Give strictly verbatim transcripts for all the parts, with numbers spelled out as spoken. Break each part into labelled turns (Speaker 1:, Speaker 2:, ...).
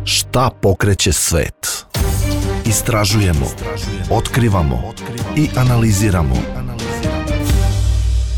Speaker 1: Šta pokreće svet? Istražujemo, otkrivamo i analiziramo.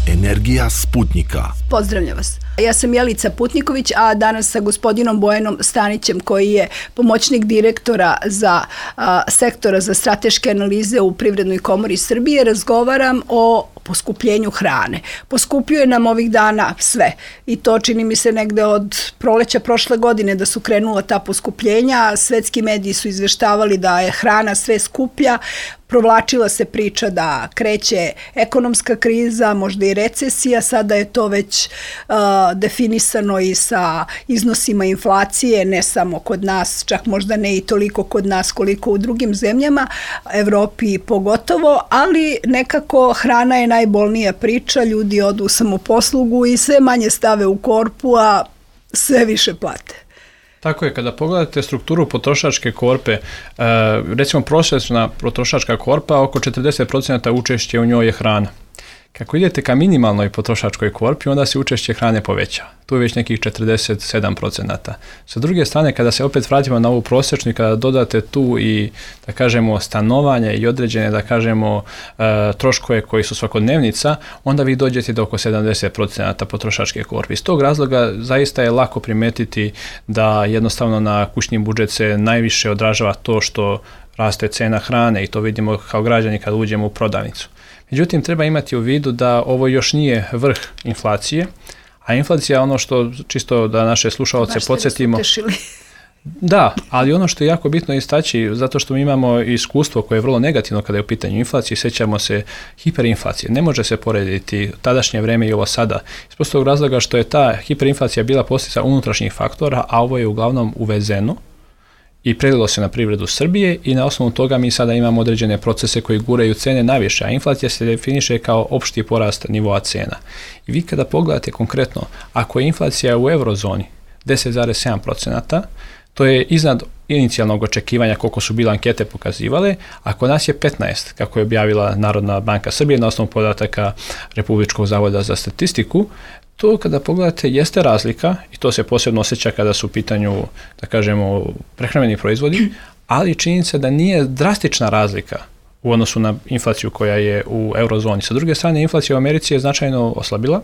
Speaker 1: Energija Sputnika.
Speaker 2: Pozdravljam vas. Ja sam Jelica Putniković, a danas sa gospodinom Bojanom Stanićem, koji je pomoćnik direktora za a, sektora za strateške analize u Privrednoj komori Srbije, razgovaram o poskupljenju hrane. Poskupljuje nam ovih dana sve i to čini mi se negde od proleća prošle godine da su krenula ta poskupljenja. Svetski mediji su izveštavali da je hrana sve skuplja. Provlačila se priča da kreće ekonomska kriza, možda i recesija, sada je to već uh, definisano i sa iznosima inflacije, ne samo kod nas, čak možda ne i toliko kod nas koliko u drugim zemljama, Evropi pogotovo, ali nekako hrana je najbolnija priča, ljudi odu u samoposlugu i sve manje stave u korpu, a sve više plate.
Speaker 3: Tako je, kada pogledate strukturu potrošačke korpe, recimo prosječna potrošačka korpa, oko četrdeset posto učešće u njoj je hrana. Kako idete ka minimalnoj potrošačkoj korpi, onda se učešće hrane poveća. Tu je već nekih četrdeset sedam posto. Sa druge strane, kada se opet vratimo na ovu prosječnu i kada dodate tu i, da kažemo, stanovanje i određene, da kažemo, troškove koji su svakodnevnica, onda vi dođete do oko sedamdeset posto potrošačke korpe. Iz tog razloga zaista je lako primetiti da jednostavno na kućni budžet se najviše odražava to što raste cena hrane i to vidimo kao građani kada uđemo u prodavnicu. Međutim, treba imati u vidu da ovo još nije vrh inflacije, a inflacija je ono što, čisto da naše slušaoce podsjetimo. Da, ali ono što je jako bitno istaći, zato što mi imamo iskustvo koje je vrlo negativno kada je u pitanju inflacije, sjećamo se hiperinflacije. Ne može se porediti tadašnje vreme i ovo sada. Iz prostog razloga što je ta hiperinflacija bila posljedica unutrašnjih faktora, a ovo je uglavnom uvezeno i prelilo se na privredu Srbije i na osnovu toga mi sada imamo određene procese koji guraju cene naviše, a inflacija se definiše kao opšti porast nivoa cena. I vi kada pogledate konkretno, ako je inflacija u eurozoni deset zarez sedam posto, to je iznad inicijalnog očekivanja koliko su bile ankete pokazivale, a kod nas je petnaest, kako je objavila Narodna banka Srbije na osnovu podataka Republičkog zavoda za statistiku. To kada pogledate jeste razlika i to se posebno osjeća kada su u pitanju, da kažemo, prehrambeni proizvodi, ali činjenica da nije drastična razlika u odnosu na inflaciju koja je u eurozoni. Sa druge strane, inflacija u Americi je značajno oslabila,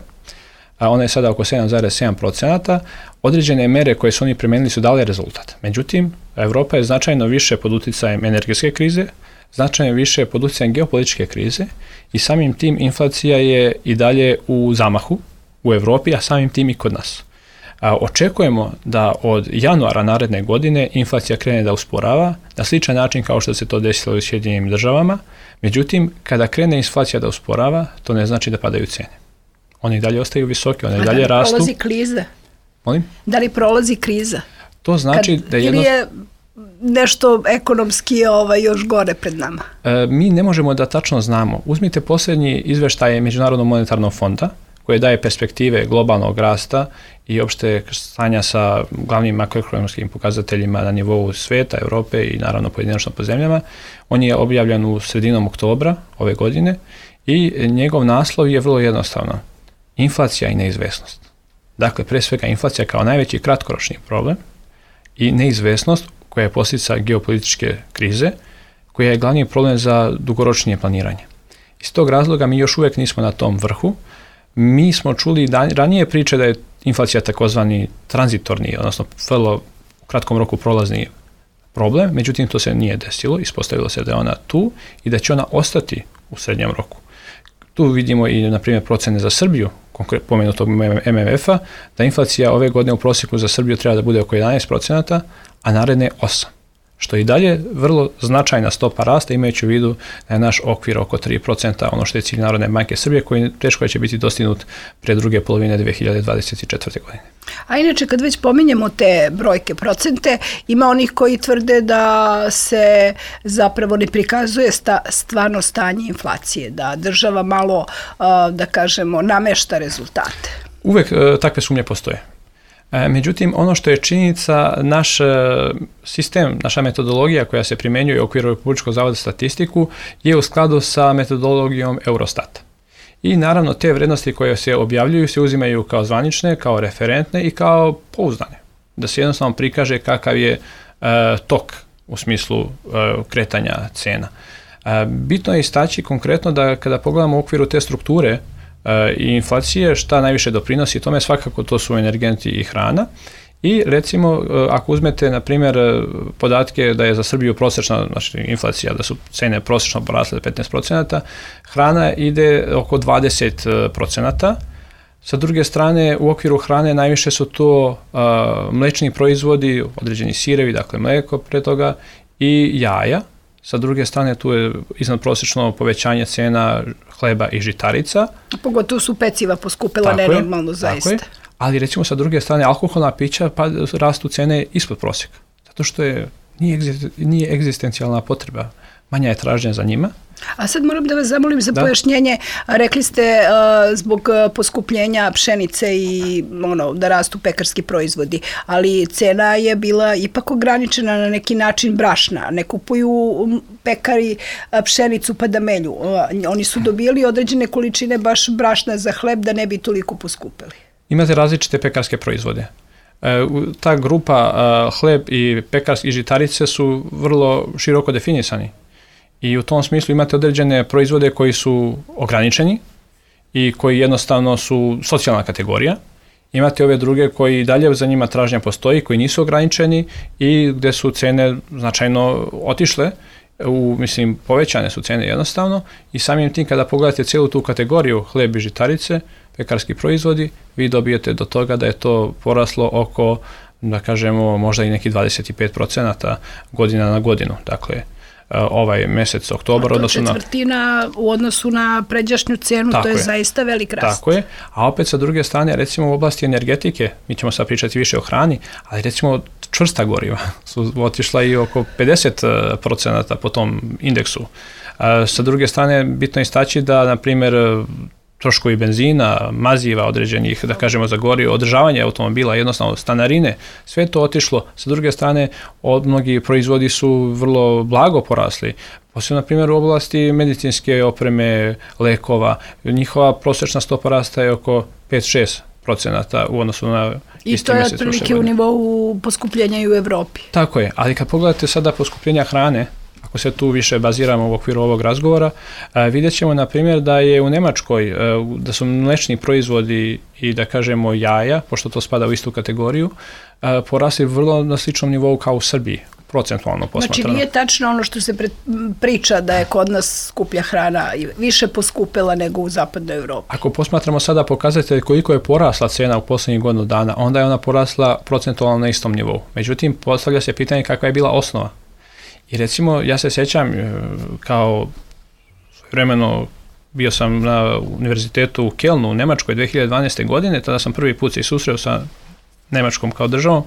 Speaker 3: a ona je sada oko sedam zarez sedam posto. Određene mere koje su oni primenili su dale rezultat. Međutim, Evropa je značajno više pod utjecajem energetske krize, značajno više pod utjecajem geopolitičke krize i samim tim inflacija je i dalje u zamahu u Evropi, a samim tim i kod nas. A, očekujemo da od januara naredne godine inflacija krene da usporava na sličan način kao što se to desilo u Sjedinjenim državama. Međutim, kada krene inflacija da usporava, to ne znači da padaju cene. One i dalje ostaju visoke, one i dalje rastu.
Speaker 2: Da li prolazi kriza?
Speaker 3: Molim?
Speaker 2: Da li prolazi kriza?
Speaker 3: To znači
Speaker 2: Kad,
Speaker 3: da jedno...
Speaker 2: Ili je nešto ekonomski ovaj, još gore pred nama?
Speaker 3: E, mi ne možemo da tačno znamo. Uzmite posljednji izveštaje Međunarodnog monetarnog fonda, koje daje perspektive globalnog rasta i opšte stanja sa glavnim makroekonomskim pokazateljima na nivou sveta, Europe i naravno pojedinačno po zemljama. On je objavljen u sredinom oktobra ove godine i njegov naslov je vrlo jednostavno. Inflacija i neizvesnost. Dakle, pre svega inflacija kao najveći kratkoročni problem i neizvesnost koja je posljedica geopolitičke krize, koja je glavni problem za dugoročnije planiranje. Iz tog razloga mi još uvijek nismo na tom vrhu. Mi smo čuli dan, ranije priče da je inflacija takozvani tranzitorni, odnosno vrlo u kratkom roku prolazni problem, međutim to se nije desilo, ispostavilo se da je ona tu i da će ona ostati u srednjem roku. Tu vidimo i, na primjer, procene za Srbiju, pomenutog M M F-a, da inflacija ove godine u prosjeku za Srbiju treba da bude oko jedanaest posto, a naredne osam posto. Što je i dalje vrlo značajna stopa rasta, imajući u vidu da je naš okvir oko tri posto, ono što je cilj Narodne banke Srbije, koji teško će biti dostignut pre druge polovine dve hiljade dvadeset četvrte. godine.
Speaker 2: A inače, kad već pominjemo te brojke, procente, ima onih koji tvrde da se zapravo ne prikazuje sta, stvarno stanje inflacije, da država malo, da kažemo, namešta rezultate.
Speaker 3: Uvek takve sumnje postoje. Međutim, ono što je činjenica, naš sistem, naša metodologija koja se primjenjuje u okviru Republičkog zavoda za statistiku je u skladu sa metodologijom Eurostata. I naravno te vrednosti koje se objavljuju se uzimaju kao zvanične, kao referentne i kao pouzdane. da se jednostavno prikaže kakav je uh, tok u smislu uh, kretanja cena. Uh, bitno je istaći konkretno da kada pogledamo u okviru te strukture uh, i inflacije, šta najviše doprinosi tome, svakako to su energenti i hrana. I recimo, ako uzmete, na primjer, podatke da je za Srbiju prosječna, znači inflacija, da su cene prosječno porasle petnaest procenata, hrana ide oko dvadeset procenata. Sa druge strane, u okviru hrane najviše su to uh, mlečni proizvodi, određeni sirevi, dakle mleko pre toga, i jaja. Sa druge strane, tu je iznadprosečno povećanje cena hleba i žitarica.
Speaker 2: Pogotovo su peciva poskupila nenormalno zaista. Tako je.
Speaker 3: Ali recimo sa druge strane alkoholna pića pa rastu cene ispod prosjeka. Zato što je, nije, egzist, nije egzistencijalna potreba. Manja je tražnja za njima.
Speaker 2: A sad moram da vas zamolim za da. pojašnjenje. Rekli ste uh, zbog poskupljenja pšenice i ono, da rastu pekarski proizvodi, ali cena je bila ipak ograničena na neki način brašna. Ne kupuju pekari pšenicu pa da melju. Uh, oni su dobili određene količine baš brašna za hleb da ne bi toliko poskupili.
Speaker 3: Imate različite pekarske proizvode. E, ta grupa e, hleb i pekarske i žitarice su vrlo široko definisani. I u tom smislu imate određene proizvode koji su ograničeni i koji jednostavno su socijalna kategorija. Imate ove druge koji dalje za njima tražnja postoji, koji nisu ograničeni i gde su cene značajno otišle, u, mislim, povećane su cene jednostavno i samim tim kada pogledate cijelu tu kategoriju hleb i žitarice, pekarski proizvodi, vi dobijete do toga da je to poraslo oko, da kažemo, možda i neki dvadeset pet procenata godina na godinu. Dakle, ovaj mesec oktobar, odnosno na...
Speaker 2: četvrtina u odnosu na pređašnju cenu, to je, je zaista velik rast.
Speaker 3: Tako je, a opet sa druge strane, recimo u oblasti energetike, mi ćemo sad pričati više o hrani, ali recimo čvrsta goriva su otišla i oko pedeset procenata po tom indeksu. Sa druge strane, bitno je istaći da, na primjer, troškovi benzina, maziva određenih, da kažemo za gorivo, održavanje automobila, jednostavno stanarine, sve to otišlo. Sa druge strane, od mnogi proizvodi su vrlo blago porasli. Posebno, na primjer, u oblasti medicinske opreme, lekova, njihova prosječna stopa rasta je oko pet do šest procenata u odnosu na isti mjesec.
Speaker 2: I to je otprilike u nivou poskupljenja i u Evropi.
Speaker 3: Tako je, ali kad pogledate sada poskupljenja hrane, ako se tu više baziramo u okviru ovog razgovora, vidjet ćemo, na primjer, da je u Nemačkoj, da su mlečni proizvodi i, da kažemo, jaja, pošto to spada u istu kategoriju, porasli vrlo na sličnom nivou kao u Srbiji, procentualno posmatrano.
Speaker 2: Znači, nije tačno ono što se priča da je kod nas skuplja hrana više poskupila nego u zapadnoj Evropi.
Speaker 3: Ako posmatramo sada pokazatelj koliko je porasla cena u posljednjih godinu dana, onda je ona porasla procentualno na istom nivou. Međutim, postavlja se pitanje kakva je bila osnova. I recimo, ja se sjećam kao vremeno bio sam na univerzitetu u Kelnu u Nemačkoj dve hiljade dvanaeste. godine, tada sam prvi put se susreo sa Nemačkom kao državom.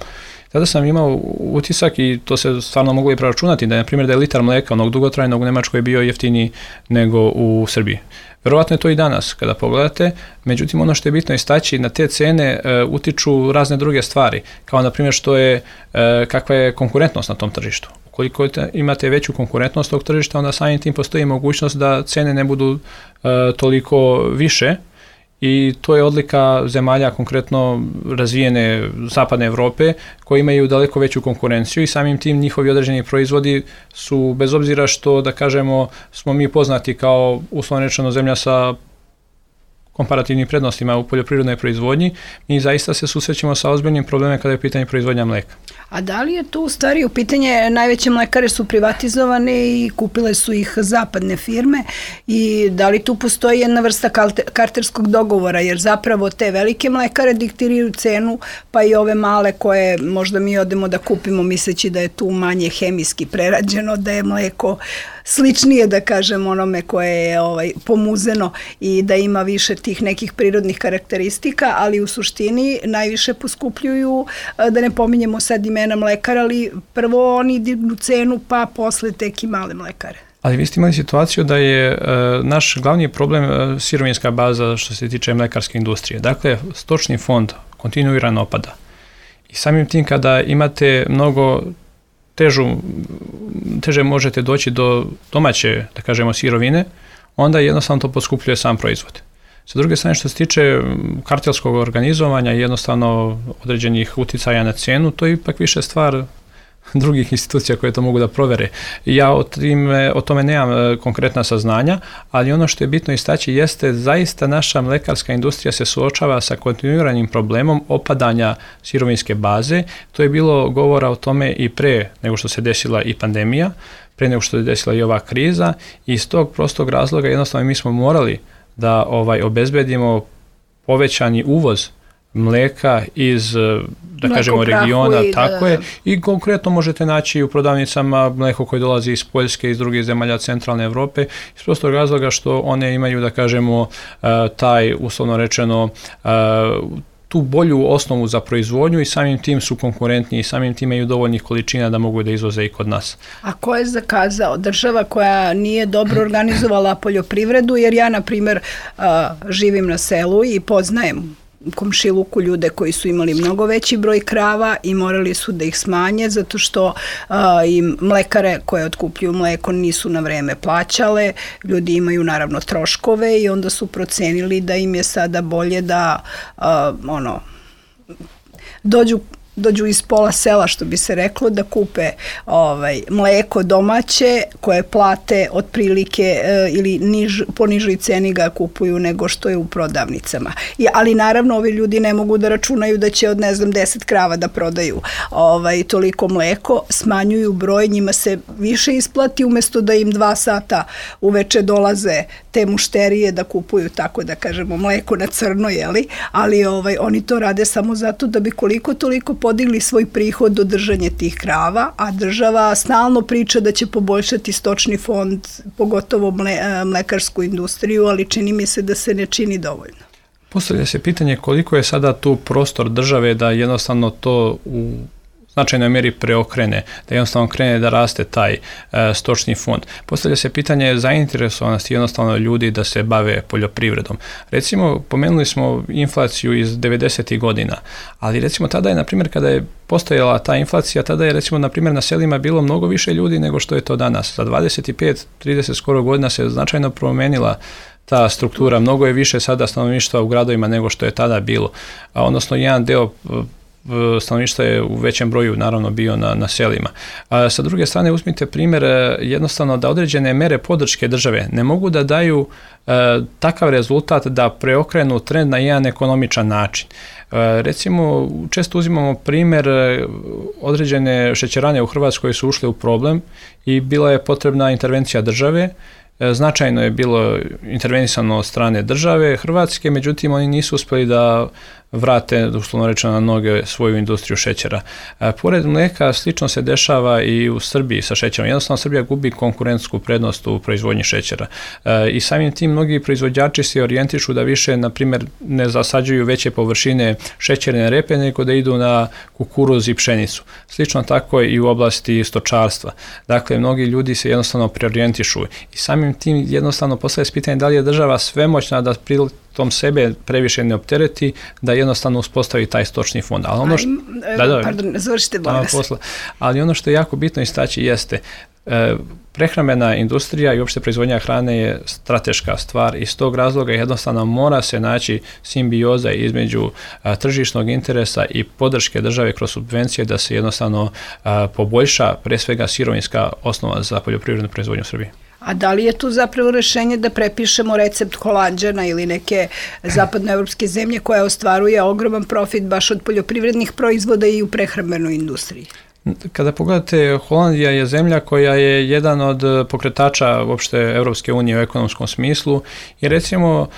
Speaker 3: Tada sam imao utisak i to se stvarno moglo i preračunati da je, na primjer, da je litar mleka onog dugotrajnog u Nemačkoj bio jeftiniji nego u Srbiji. Verovatno je to i danas kada pogledate, međutim ono što je bitno istaći, na te cene e, utiču razne druge stvari, kao na primjer što je, e, kakva je konkurentnost na tom tržištu. Ukoliko imate veću konkurentnost tog tržišta, onda samim tim postoji mogućnost da cene ne budu e, toliko više i to je odlika zemalja konkretno razvijene zapadne Evrope koji imaju daleko veću konkurenciju i samim tim njihovi određeni proizvodi su, bez obzira što, da kažemo, smo mi poznati kao uslovno rečeno zemlja sa komparativnim prednostima u poljoprivrednoj proizvodnji, mi zaista se susrećemo sa ozbiljnim problemima kada je pitanje proizvodnja mleka.
Speaker 2: A da li je tu u stvari u pitanje, najveće mlekare su privatizovane i kupile su ih zapadne firme i da li tu postoji jedna vrsta karterskog dogovora, jer zapravo te velike mlekare diktiraju cenu, pa i ove male koje možda mi odemo da kupimo misleći da je tu manje hemijski prerađeno, da je mleko sličnije, da kažem, onome koje je ovaj, pomuzeno i da ima više tih nekih prirodnih karakteristika, ali u suštini najviše poskupljuju, da ne pominjemo sad imena mlekara, ali prvo oni dignu cenu, pa posle tek i male mlekare.
Speaker 3: Ali vi ste imali situaciju da je uh, naš glavni problem uh, sirovinska baza što se tiče mlekarske industrije. Dakle, stočni fond kontinuirano opada. I samim tim kada imate mnogo težu, teže možete doći do domaće, da kažemo, sirovine, onda jednostavno to poskupljuje sam proizvod. Sa druge strane, što se tiče kartelskog organizovanja i jednostavno određenih uticaja na cijenu, to je ipak više stvar drugih institucija koje to mogu da provere. Ja o, tim, o tome nemam konkretna saznanja, ali ono što je bitno istaći jeste zaista naša mlekarska industrija se suočava sa kontinuiranim problemom opadanja sirovinske baze. To je bilo govora o tome i pre nego što se desila i pandemija, pre nego što se desila i ova kriza, i iz tog prostog razloga jednostavno mi smo morali da ovaj obezbedimo povećani uvoz mleka iz, da Mleko kažemo, regiona, i tako da, je, i konkretno možete naći u prodavnicama mleko koje dolazi iz Poljske, iz drugih zemalja centralne Evrope, iz prostog razloga što one imaju, da kažemo, taj, uslovno rečeno, tu bolju osnovu za proizvodnju i samim tim su konkurentni i samim tim imaju dovoljnih količina da mogu da izvoze i kod nas.
Speaker 2: A ko je zakazao? Država koja nije dobro organizovala poljoprivredu, jer ja, na primjer, živim na selu i poznajem u komšiluku ljude koji su imali mnogo veći broj krava i morali su da ih smanje zato što a, im mlekare koje otkupljuju mleko nisu na vreme plaćale, ljudi imaju naravno troškove i onda su procenili da im je sada bolje da a, ono dođu dođu iz pola sela, što bi se reklo, da kupe ovaj, mleko domaće koje plate otprilike e, ili niž, po nižoj ceni ga kupuju nego što je u prodavnicama. I, ali naravno ovi ljudi ne mogu da računaju da će od ne znam deset krava da prodaju ovaj, toliko mleko, smanjuju broj, njima se više isplati umjesto da im dva sata uveče dolaze te mušterije da kupuju, tako da kažemo, mleko na crno, jeli? Ali ovaj, oni to rade samo zato da bi koliko toliko podigli svoj prihod od držanja tih krava, a država stalno priča da će poboljšati stočni fond, pogotovo mle, mlekarsku industriju, ali čini mi se da se ne čini dovoljno.
Speaker 3: Postavlja se pitanje koliko je sada tu prostor države da jednostavno to u značajnoj mjeri preokrene, da jednostavno krene da raste taj e, stočni fond. Postavlja se pitanje zainteresovanosti jednostavno ljudi da se bave poljoprivredom. Recimo, pomenuli smo inflaciju iz devedesetih godina, ali recimo tada je, na primjer, kada je postojala ta inflacija, tada je recimo, na primjer, na selima bilo mnogo više ljudi nego što je to danas. Za dvadeset pet trideset skoro godina se značajno promenila ta struktura, mnogo je više sada stanovništva u gradovima nego što je tada bilo. A, odnosno, jedan deo stanovništva je u većem broju naravno bio na, na selima. A sa druge strane, uzmite primjer jednostavno da određene mere podrške države ne mogu da daju e, takav rezultat da preokrenu trend na jedan ekonomičan način. E, recimo, često uzimamo primjer određene šećerane u Hrvatskoj su ušle u problem i bila je potrebna intervencija države. Značajno je bilo intervenisano od strane države Hrvatske, međutim oni nisu uspjeli da vrate, uslovno rečeno, na noge svoju industriju šećera. E, pored mlijeka slično se dešava i u Srbiji sa šećerom. Jednostavno Srbija gubi konkurentsku prednost u proizvodnji šećera. E, I samim tim mnogi proizvođači se orijentišu da više, na primjer, ne zasađuju veće površine šećerne repe, nego da idu na kukuruz i pšenicu. Slično tako i u oblasti stočarstva. Dakle, mnogi ljudi se jednostavno preorijentišu i samim tim jednostavno postavlja se pitanje da li je država svemoćna da pri tom sebe previše ne optereti, da jednostavno uspostavi taj stočni fond. Ali ono što,
Speaker 2: Aj, da, da, pardon, završite bolest.
Speaker 3: Ali ono što je jako bitno istaći jeste e, prehrambena industrija i uopšte proizvodnja hrane je strateška stvar i iz tog razloga jednostavno mora se naći simbioza između a, tržišnog interesa i podrške države kroz subvencije da se jednostavno a, poboljša pre svega sirovinska osnova za poljoprivrednu proizvodnju u Srbiji.
Speaker 2: A da li je tu zapravo rešenje da prepišemo recept Holanđana ili neke zapadnoevropske zemlje koja ostvaruje ogroman profit baš od poljoprivrednih proizvoda i u prehrambenoj industriji?
Speaker 3: Kada pogledate, Holandija je zemlja koja je jedan od pokretača uopšte Evropske unije u ekonomskom smislu i recimo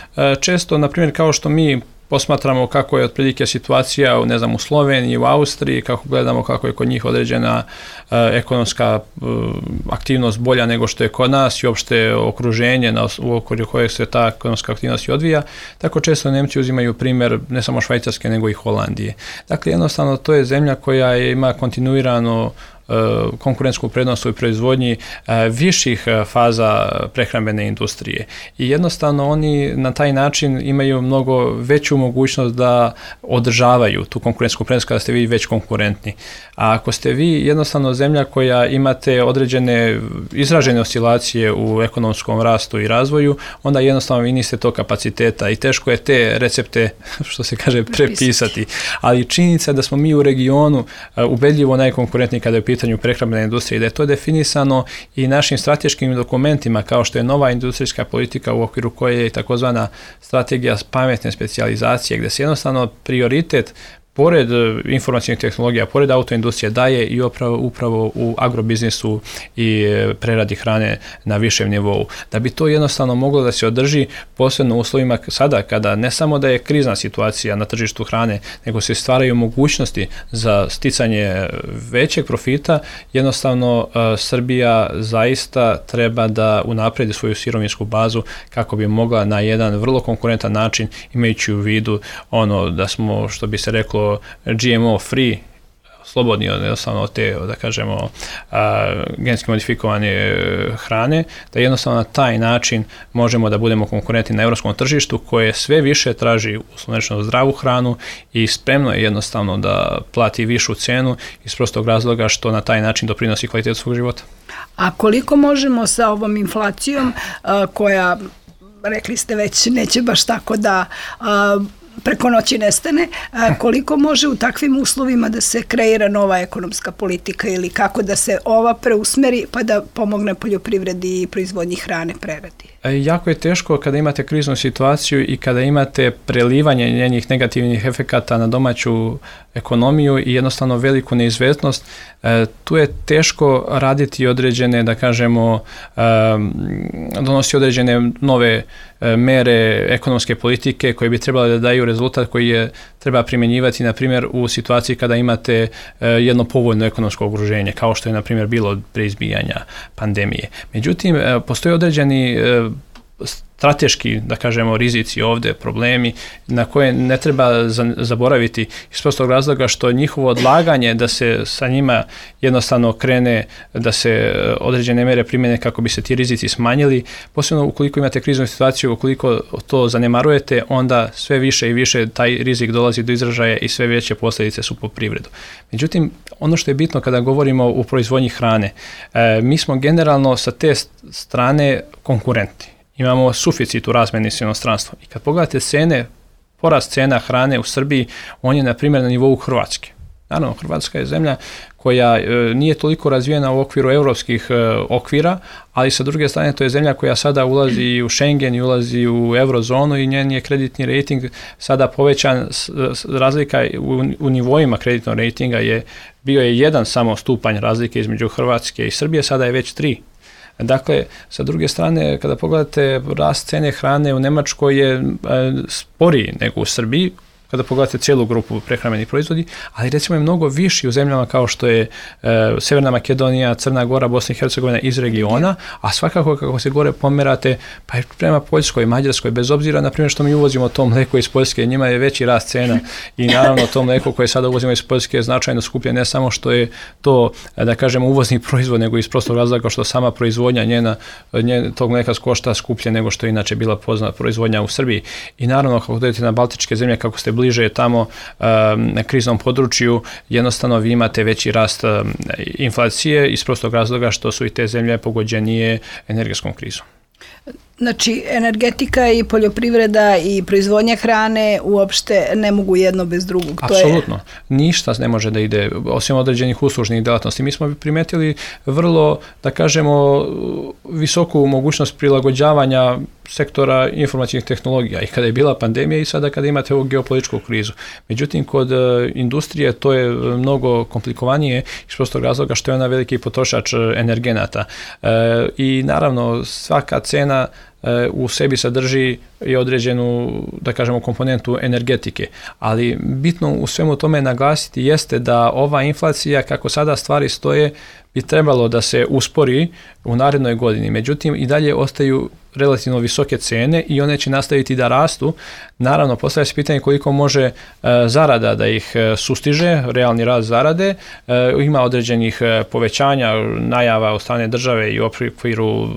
Speaker 3: često, na primjer, kao što mi posmatramo kako je otprilike situacija u, ne znam, u Sloveniji, u Austriji, kako gledamo kako je kod njih određena uh, ekonomska uh, aktivnost bolja nego što je kod nas i uopšte okruženje na, u okviru kojeg se ta ekonomska aktivnost odvija, tako često Nemci uzimaju primjer ne samo Švajcarske nego i Holandije. Dakle, jednostavno to je zemlja koja je, ima kontinuirano konkurentsku prednost u proizvodnji viših faza prehrambene industrije. I jednostavno oni na taj način imaju mnogo veću mogućnost da održavaju tu konkurentsku prednost kada ste vi već konkurentni. A ako ste vi jednostavno zemlja koja imate određene izražene oscilacije u ekonomskom rastu i razvoju, onda jednostavno vi niste tog kapaciteta i teško je te recepte, što se kaže, prepisati. Ali činjenica je da smo mi u regionu ubedljivo najkonkurentniji kada je u pitanju prehrambene industrije, da je to definisano i našim strateškim dokumentima, kao što je nova industrijska politika u okviru koje je takozvana strategija pametne specijalizacije, gdje se jednostavno prioritet pored informacijnih tehnologija, pored autoindustrije daje i upravo, upravo u agrobiznisu i preradi hrane na višem nivou. Da bi to jednostavno moglo da se održi, posebno u uslovima sada kada ne samo da je krizna situacija na tržištu hrane, nego se stvaraju mogućnosti za sticanje većeg profita, jednostavno uh, Srbija zaista treba da unapredi svoju sirovinsku bazu kako bi mogla na jedan vrlo konkurentan način, imajući u vidu ono da smo, što bi se reklo, G M O free, slobodni jednostavno od te, da kažemo, a, genski modifikovane hrane, da jednostavno na taj način možemo da budemo konkurentni na evropskom tržištu koje sve više traži uslovno zdravu hranu i spremno je jednostavno da plati višu cenu iz prostog razloga što na taj način doprinosi kvalitetu svog života.
Speaker 2: A koliko možemo sa ovom inflacijom a, koja, rekli ste već, neće baš tako da a, preko noći nestane, a koliko može u takvim uslovima da se kreira nova ekonomska politika ili kako da se ova preusmeri pa da pomogne poljoprivredi i proizvodnji hrane, preradi?
Speaker 3: Jako je teško kada imate kriznu situaciju i kada imate prelivanje njenih negativnih efekata na domaću ekonomiju i jednostavno veliku neizvesnost. E, tu je teško raditi određene, da kažemo, e, donosi određene nove e, mere ekonomske politike koje bi trebale da daju rezultat koji je treba primjenjivati, na primjer, u situaciji kada imate e, jedno povoljno ekonomsko okruženje, kao što je, na primjer, bilo pre izbijanja pandemije. Međutim, e, postoje određeni e, strateški, da kažemo, rizici ovde, problemi na koje ne treba zaboraviti iz prostog razloga što njihovo odlaganje da se sa njima jednostavno krene, da se određene mere primjene kako bi se ti rizici smanjili, posebno ukoliko imate kriznu situaciju, ukoliko to zanemarujete, onda sve više i više taj rizik dolazi do izražaja i sve veće posljedice su po privredu. Međutim, ono što je bitno kada govorimo o proizvodnji hrane, mi smo generalno sa te strane konkurentni. Imamo suficit u razmeni s inostranstvom. I kad pogledate cene, porast cena hrane u Srbiji, on je, na primjer, na nivou Hrvatske. Naravno, Hrvatska je zemlja koja e, nije toliko razvijena u okviru evropskih e, okvira, ali sa druge strane to je zemlja koja sada ulazi u Schengen i ulazi u eurozonu i njen je kreditni rating sada povećan, s, s, razlika u, u nivoima kreditnog ratinga je bio je jedan samo stupanj razlike između Hrvatske i Srbije, sada je već tri. Dakle, sa druge strane, kada pogledate rast cene hrane u Nemačkoj je e, sporiji nego u Srbiji, kada pogledate cijelu grupu prehrambenih proizvodi, ali recimo je mnogo viši u zemljama kao što je e, Severna Makedonija, Crna Gora, Bosna i Hercegovina iz regiona, a svakako kako se gore pomerate, pa i prema Poljskoj, Mađarskoj, bez obzira na primjer što mi uvozimo to mleko iz Poljske, njima je veći rast cena i naravno to mleko koje sada uvozimo iz Poljske je značajno skuplje, ne samo što je to, da kažemo, uvozni proizvod, nego iz prostog razloga što sama proizvodnja njena, njena tog mleka košta skuplje nego što je inače bila poznata proizvodnja u Srbiji. I naravno, kako dođete na Baltičke zemlje, kako ste bliže tamo um, na kriznom području, jednostavno vi imate veći rast um, inflacije iz prostog razloga što su i te zemlje pogođenije energetskom krizom.
Speaker 2: Znači, energetika i poljoprivreda i proizvodnja hrane uopšte ne mogu jedno bez drugog.
Speaker 3: Apsolutno. To je... Ništa ne može da ide, osim određenih uslužnih delatnosti. Mi smo primetili vrlo, da kažemo, visoku mogućnost prilagođavanja sektora informacijnih tehnologija i kada je bila pandemija i sada kada imate ovu geopolitičku krizu. Međutim, kod industrije to je mnogo komplikovanije iz prostog razloga što je ona veliki potrošač energenata. E, I naravno, svaka cena u sebi sadrži i određenu, da kažemo, komponentu energetike. Ali bitno u svemu tome naglasiti jeste da ova inflacija, kako sada stvari stoje, bi trebalo da se uspori u narednoj godini. Međutim, i dalje ostaju relativno visoke cene i one će nastaviti da rastu. Naravno, postavlja se pitanje koliko može uh, zarada da ih uh, sustiže, realni rast zarade. Uh, ima određenih uh, povećanja, najava od strane države i u okviru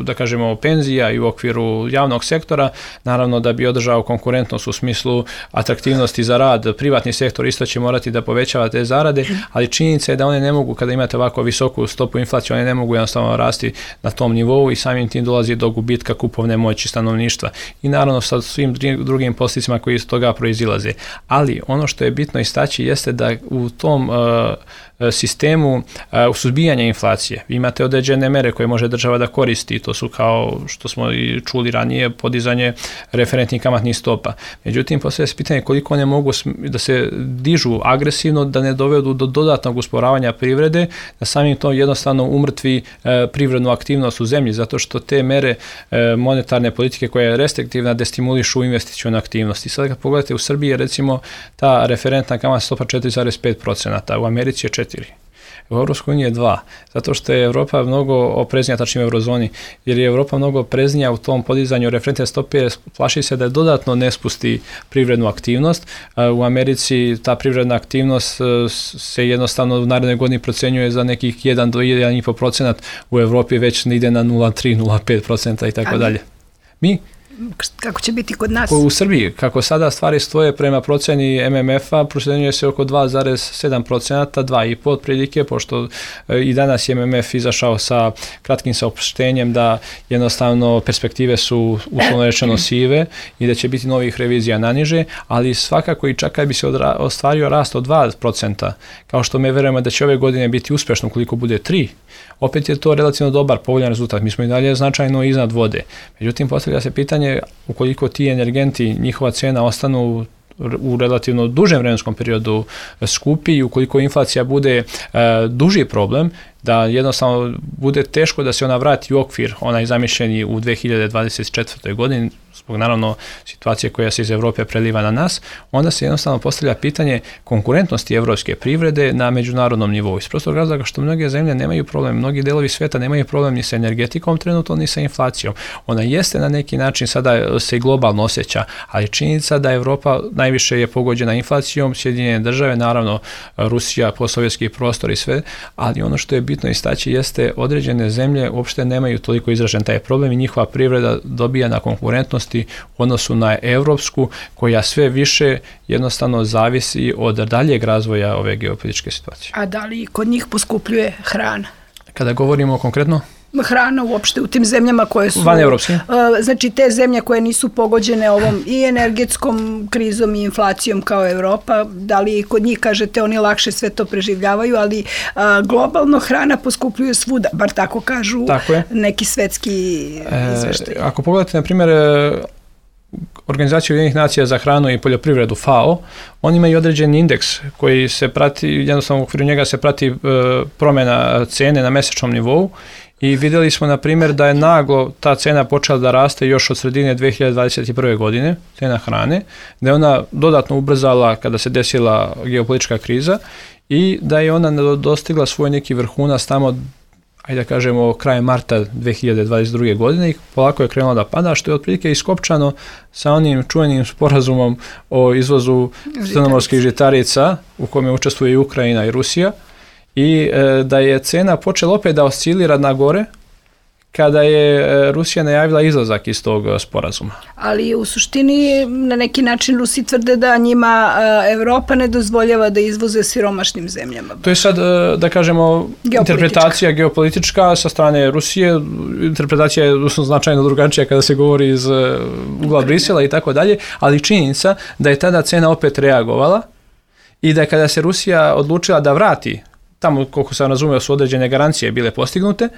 Speaker 3: da kažemo penzija i u okviru javnog sektora, naravno da bi održao konkurentnost u smislu atraktivnosti za rad, privatni sektor isto će morati da povećava te zarade, ali činjenica je da one ne mogu, kada imate ovako visoku stopu inflacije, one ne mogu jednostavno rasti na tom nivou i samim tim dolazi do gubitka kupovne moći stanovništva i naravno sa svim drugim posljedicama koji iz toga proizilaze. Ali ono što je bitno istaći jeste da u tom uh, sistemu uh, suzbijanja inflacije imate određene mere koje može država da koristi, to su kao što smo i čuli ranije podizanje referentnih kamatnih stopa. Međutim, postavlja se pitanje koliko one mogu da se dižu agresivno, da ne dovedu do dodatnog usporavanja privrede, da samim to jednostavno umrtvi uh, privrednu aktivnost u zemlji, zato što te mere uh, monetarne politike koja je restriktivna destimulišu investicionu aktivnost. I sad kad pogledate u Srbiji, recimo ta referentna kamatna stopa četiri zarez pet posto, u Americi je četiri. U Europskoj uniji je dva, zato što je Evropa mnogo opreznija, tačnije u eurozoni, jer je Evropa mnogo opreznija u tom podizanju referentne stope, plaši se da dodatno ne spusti privrednu aktivnost. U Americi ta privredna aktivnost se jednostavno u narednoj godini procenjuje za nekih jedan do jedan i po procenat, u Evropi već ide na nula zarez tri do nula zarez pet posto i tako dalje. Mi
Speaker 2: kako će biti kod nas?
Speaker 3: U Srbiji, kako sada stvari stoje prema proceni M M F-a, procenjuje se oko dva zarez sedam posto, dva zarez pet posto otprilike, pošto i danas je M M F izašao sa kratkim saopštenjem da jednostavno perspektive su uslovno rečeno sive i da će biti novih revizija naniže, ali svakako i čak kad bi se odra- ostvario rast od dva procenta, kao što me verujemo da će ove godine biti uspešno koliko bude tri, opet je to relativno dobar, povoljan rezultat. Mi smo i dalje značajno iznad vode. Međutim, postavlja se pitanje ukoliko ti energenti, njihova cena ostanu u relativno dužem vremenskom periodu skupi i ukoliko inflacija bude e, duži problem, da jednostavno bude teško da se ona vrati u okvir, onaj zamišljeni u dve hiljade dvadeset četvrtoj godini, zbog naravno situacije koja se iz Evrope preliva na nas, onda se jednostavno postavlja pitanje konkurentnosti evropske privrede na međunarodnom nivou. Iz prostog razloga što mnoge zemlje nemaju problem, mnogi delovi sveta nemaju problem ni sa energetikom trenutno, ni sa inflacijom. Ona jeste na neki način sada se globalno osjeća, ali činjenica da Evropa najviše je pogođena inflacijom, Sjedinjene države, naravno Rusija, postsovjetski prostor i sve, ali ono što je bitno istaći jeste određene zemlje uopšte nemaju toliko izražen taj problem i njihova privreda dobija na konkurentnosti u odnosu na evropsku, koja sve više jednostavno zavisi od daljeg razvoja ove geopolitičke situacije.
Speaker 2: A da li kod njih poskupljuje hrana?
Speaker 3: Kada govorimo konkretno?
Speaker 2: Hrana uopšte u tim zemljama koje su...
Speaker 3: Van evropske. Uh,
Speaker 2: znači te zemlje koje nisu pogođene ovom i energetskom krizom i inflacijom kao Evropa, da li kod njih, kažete, oni lakše sve to preživljavaju, ali uh, globalno hrana poskupljuje svuda, bar tako kažu tako neki svetski izveštaj.
Speaker 3: E, ako pogledate, na primjer, Organizaciju Ujedinjenih nacija za hranu i poljoprivredu F A O, oni imaju određen indeks koji se prati, jednostavno u okviru njega se prati e, promjena cene na mesečnom nivou i vidjeli smo na primjer da je naglo ta cena počela da raste još od sredine dve hiljade dvadeset prve godine, cena hrane, da je ona dodatno ubrzala kada se desila geopolitička kriza i da je ona dostigla svoj neki vrhunac tamo, ajde da kažemo, krajem marta dve hiljade dvadeset druge godine i polako je krenula da pada, što je otprilike iskopčano sa onim čuvenim sporazumom o izvozu crnomorskih žitarica u kome učestvuje i Ukrajina i Rusija i e, da je cena počela opet da oscilira na gore kada je Rusija najavila izlazak iz tog sporazuma.
Speaker 2: Ali u suštini na neki način Rusi tvrde da njima Evropa ne dozvoljava da izvoze siromašnim zemljama.
Speaker 3: To je sad, da kažemo, interpretacija geopolitička sa strane Rusije. Interpretacija je značajno drugačija kada se govori iz ugla Brisela i tako dalje, ali činjenica da je tada cena opet reagovala i da kada se Rusija odlučila da vrati, tamo koliko sam razumio su određene garancije bile postignute,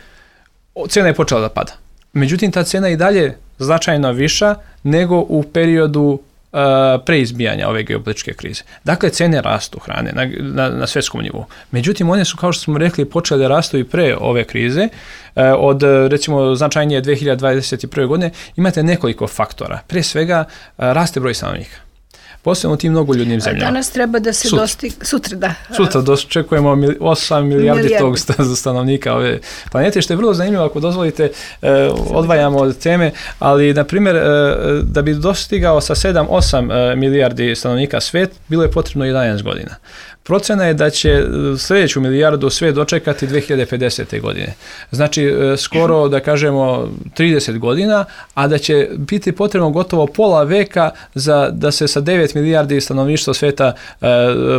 Speaker 3: cena je počela da pada. Međutim, ta cena je i dalje značajno viša nego u periodu uh, preizbijanja ove geopolitičke krize. Dakle, cene rastu hrane na, na, na svjetskom nivou. Međutim, one su, kao što smo rekli, počele da rastu i pre ove krize. Uh, od, recimo, značajnije dve hiljade dvadeset prve godine imate nekoliko faktora. Prije svega, uh, raste broj stanovnika. posebno u tim mnogoljudnim zemljama.
Speaker 2: Danas treba da se dostigne, sutra da.
Speaker 3: Sutra dočekujemo osam milijardi tog stanovnika ove planete, što je vrlo zanimljivo ako dozvolite, eh, odvajamo od teme, ali na primjer eh, da bi dostigao sa sedam osam eh, milijardi stanovnika svet, bilo je potrebno jedanaest godina. Procena je da će sljedeću milijardu sve dočekati dve hiljade pedesete. godine. Znači, skoro, da kažemo, trideset godina, a da će biti potrebno gotovo pola veka za da se sa devet milijardi stanovništva sveta e,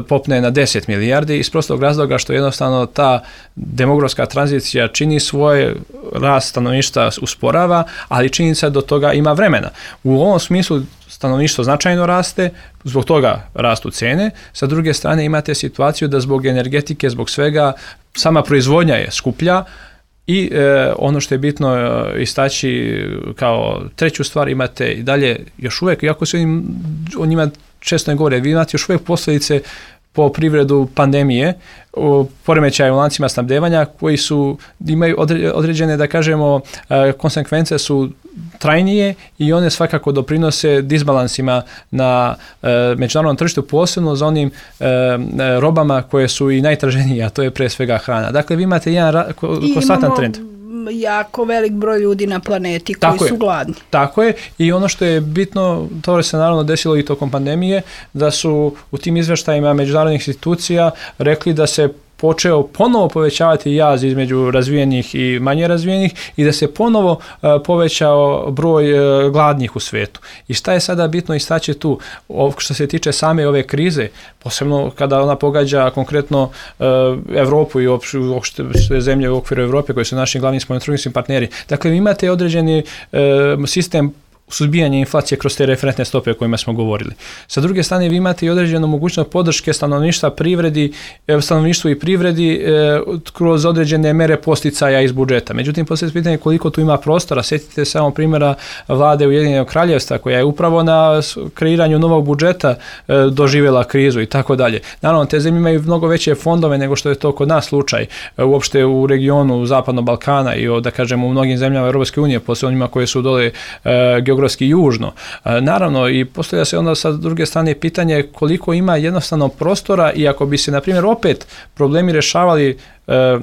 Speaker 3: popne na deset milijardi, iz prostog razloga što jednostavno ta demografska tranzicija čini svoje, rast stanovništva usporava, ali činjenica do toga ima vremena. U ovom smislu stanovništvo značajno raste, zbog toga rastu cene. Sa druge strane imate situaciju da zbog energetike, zbog svega, sama proizvodnja je skuplja i e, ono što je bitno e, istaći kao treću stvar, imate i dalje još uvijek, iako se o njima često ne govore, vi imate još uvijek posljedice po privredu pandemije, poremećaje u lancima snabdevanja koji su, imaju određene, da kažemo, konsekvence su trajnije i one svakako doprinose disbalansima na međunarodnom tržištu, posebno za onim robama koje su i najtraženije, a to je pre svega hrana. Dakle, vi imate jedan konstantan trend.
Speaker 2: Jako velik broj ljudi na planeti koji
Speaker 3: tako
Speaker 2: su
Speaker 3: je,
Speaker 2: gladni.
Speaker 3: Tako je, i ono što je bitno, to se naravno desilo i tokom pandemije, da su u tim izveštajima međunarodnih institucija rekli da se počeo ponovo povećavati jaz između razvijenih i manje razvijenih i da se ponovo uh, povećao broj uh, gladnih u svetu. I šta je sada bitno istaći tu? O, što se tiče same ove krize, posebno kada ona pogađa konkretno uh, Evropu i uopšte zemlje u okviru Evrope koji su naši glavni spoljnotrgovinski partneri. Dakle, imate određeni uh, sistem suzbijanje inflacije kroz te referentne stope o kojima smo govorili. Sa druge strane, vi imate i određenu mogućnost podrške stanovništva privredi, stanovništvu i privredi e, kroz određene mere posticaja iz budžeta. Međutim, poslije pitanje koliko tu ima prostora. Sjetite se samo primjera vlade Ujedinjenog Kraljevstva koja je upravo na kreiranju novog budžeta e, doživjela krizu i tako dalje. Naravno, te zemlje imaju mnogo veće fondove nego što je to kod nas slučaj. E, uopšte u regionu Zapadnog Balkana i o, da kažemo, u mnogim zemljama Europske unije, posle onima koje su dole e, geografski južno. E, naravno, i postavlja se onda sa druge strane pitanje koliko ima jednostavno prostora i ako bi se, na primjer, opet problemi rješavali e,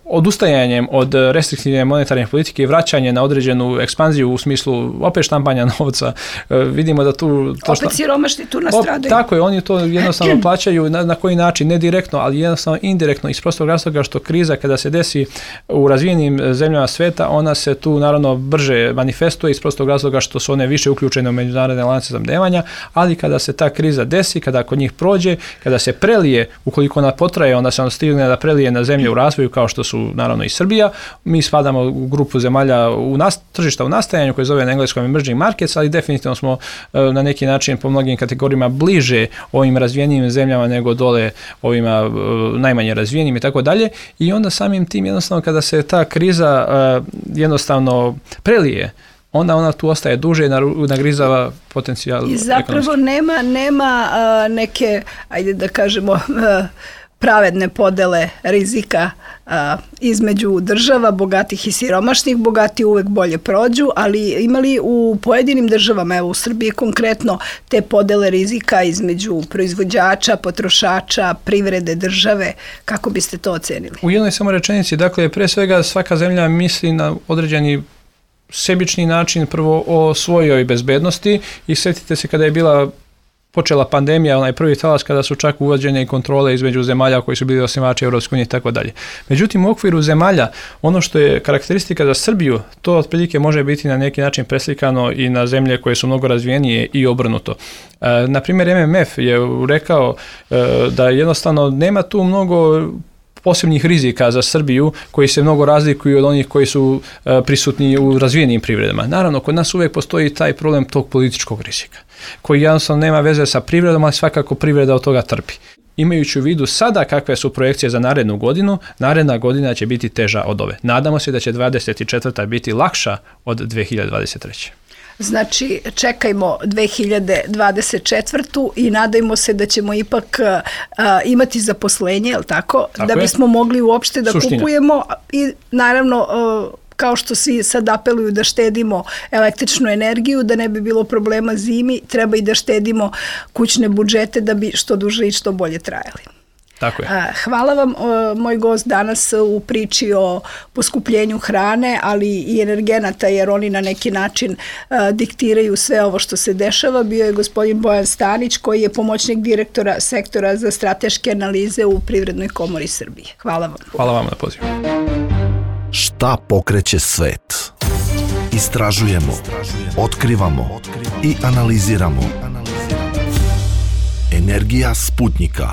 Speaker 3: odustajanjem od restriktivne monetarne politike i vraćanje na određenu ekspanziju u smislu opet štampanja novca, e, vidimo da tu...
Speaker 2: To opet šta, siromašni tu nastradaju.
Speaker 3: Tako je, oni to jednostavno plaćaju na, na koji način, ne direktno, ali jednostavno indirektno, iz prostog razloga što kriza kada se desi u razvijenim zemljama sveta, ona se tu naravno brže manifestuje iz prostog razloga što su one više uključene u međunarodne lance snabdevanja, ali kada se ta kriza desi, kada kod njih prođe, kada se prelije, ukoliko ona potraje, onda se on stigne da prelije na zemlje u razvoju kao što su naravno i Srbija. Mi spadamo u grupu zemalja u nas, tržišta u nastajanju koje zove na engleskom emerging markets, ali definitivno smo na neki način po mnogim kategorijama bliže ovim razvijenim zemljama nego dole ovima najmanje razvijenim i tako dalje. I onda samim tim jednostavno kada se ta kriza jednostavno prelije, onda ona tu ostaje duže i nagrizava potencijal.
Speaker 2: I zapravo ekonomski. nema, nema uh, neke, ajde da kažemo, uh, pravedne podele rizika uh, između država, bogatih i siromašnih. Bogati uvek bolje prođu, ali imali u pojedinim državama, evo u Srbiji konkretno, te podele rizika između proizvođača, potrošača, privrede, države, kako biste to ocenili? U
Speaker 3: jednoj samo rečenici, dakle, pre svega svaka zemlja misli na određeni sebični način prvo o svojoj bezbednosti i sjetite se kada je bila počela pandemija, onaj prvi talas kada su čak uvođene i kontrole između zemalja koji su bili osnivači Europske unije i tako dalje. Međutim, u okviru zemalja, ono što je karakteristika za Srbiju, to otprilike može biti na neki način preslikano i na zemlje koje su mnogo razvijenije i obrnuto. E, na primjer, M M F je rekao e, da jednostavno nema tu mnogo posebnih rizika za Srbiju koji se mnogo razlikuju od onih koji su uh, prisutni u razvijenim privredama. Naravno, kod nas uvijek postoji taj problem tog političkog rizika, koji jednostavno nema veze sa privredom, ali svakako privreda od toga trpi. Imajući u vidu sada kakve su projekcije za narednu godinu, naredna godina će biti teža od ove. Nadamo se da će dvadeset četvrta biti lakša od dve hiljade dvadeset treće.
Speaker 2: Znači, čekajmo dve hiljade dvadeset četvrtu i nadajmo se da ćemo ipak uh, imati zaposlenje, je li tako? tako da bismo je. mogli uopšte da Suština. kupujemo i naravno uh, kao što svi sad apeluju da štedimo električnu energiju, da ne bi bilo problema zimi, treba i da štedimo kućne budžete da bi što duže i što bolje trajali.
Speaker 3: Tako je.
Speaker 2: Hvala vam, moj gost danas u priči o poskupljenju hrane, ali i energenata, jer oni na neki način diktiraju sve ovo što se dešava. Bio je gospodin Bojan Stanić, koji je pomoćnik direktora sektora za strateške analize u Privrednoj komori Srbije. Hvala vam.
Speaker 3: Hvala vam na pozivu.
Speaker 1: Šta pokreće svet? Istražujemo, otkrivamo i analiziramo. Energija Sputnika.